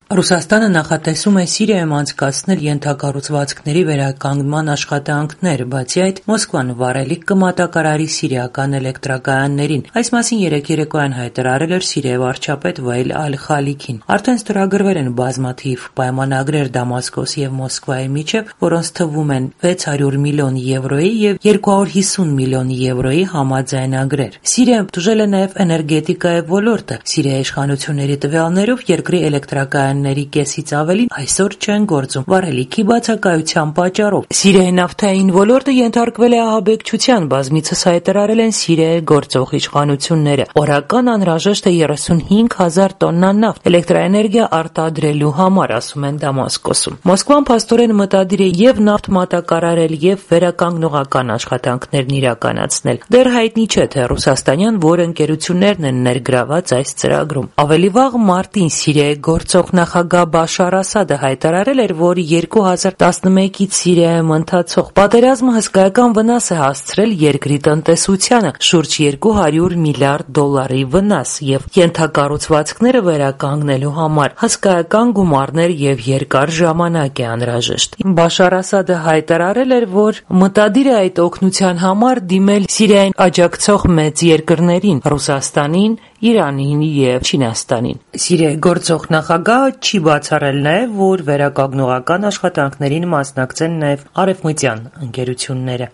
Ռուսաստանը նախատեսում է Սիրիայում անցկացնել ենթակառուցվածքների վերականգնման աշխատանքներ, բացի այդ Մոսկվան վառելիք կմատակարարի սիրիական էլեկտրակայաններին։ Այս մասին երեկ երեկոյան հայտարարել էր Սիրիայի վարչապետ Վայել Ալ-Խալիքին։ Արդեն ստորագրվել են բազմաթիվ պայմանագրեր Դամասկոսի եւ Մոսկվայի միջև, որոնց թվում են 600 միլիոն եվրոյի եւ 250 միլիոն եվրոյի համաձայնագրեր։ Սիրիայում տուժել է նաեւ էներգետիկայի ոլորտը։ Սիրիայի իշխանությունների տվյալներով երկրի էլեկտրակայանների կեսից ավելին այսօր չեն գործում վառելիքի բացակայության պատճառով։ Սիրիայի նավթային ոլորտը ենթարկվել է ահաբեկչության, բազմիցս հայտարարել են Սիրիայի գործող իշխանությունները։ Օրական անհրաժեշտ է 35,000 տոննա նավթ էլեկտրաէներգիա արտադրելու համար, ասում են Դամասկոսում։ Մոսկվան փաստորեն մտադիր է եւ նավթ մատակարարել եւ վերականգնողական աշխատանքներն իրականացնել։ Դեռ հայտնի չէ, թե ռուսաստանյան որ ընկերություններն են ներգրաված այս ծրագրում։ Ավելի վաղ մարտին Սիրիայի գործող նախագահ Բաշար Ասադը հայտարարել էր, որ 2011-ից Սիրիայում ընթացող պատերազմը հսկայական վնաս է հասցրել երկրի տնտեսությանը՝ շուրջ 200 միլիարդ դոլարի վնաս, եւ ենթակառուցվածքները վերականգնելու համար հսկայական գումարներ եւ երկար ժամանակ է անհրաժեշտ։ Բաշար Ասադը հայտարարել էր, որ մտադիր է այդ օգնության համար դիմել Սիրիային աջակցող մեծ երկրներին՝ Ռուսաստանին, Իրանին եւ Չինաստանին։ Սիրիայի գործող նախագահը չի բացառել նաեւ, որ վերականգնողական աշխատանքներին մասնակցեն նաեւ արևմտյան ընկերությունները։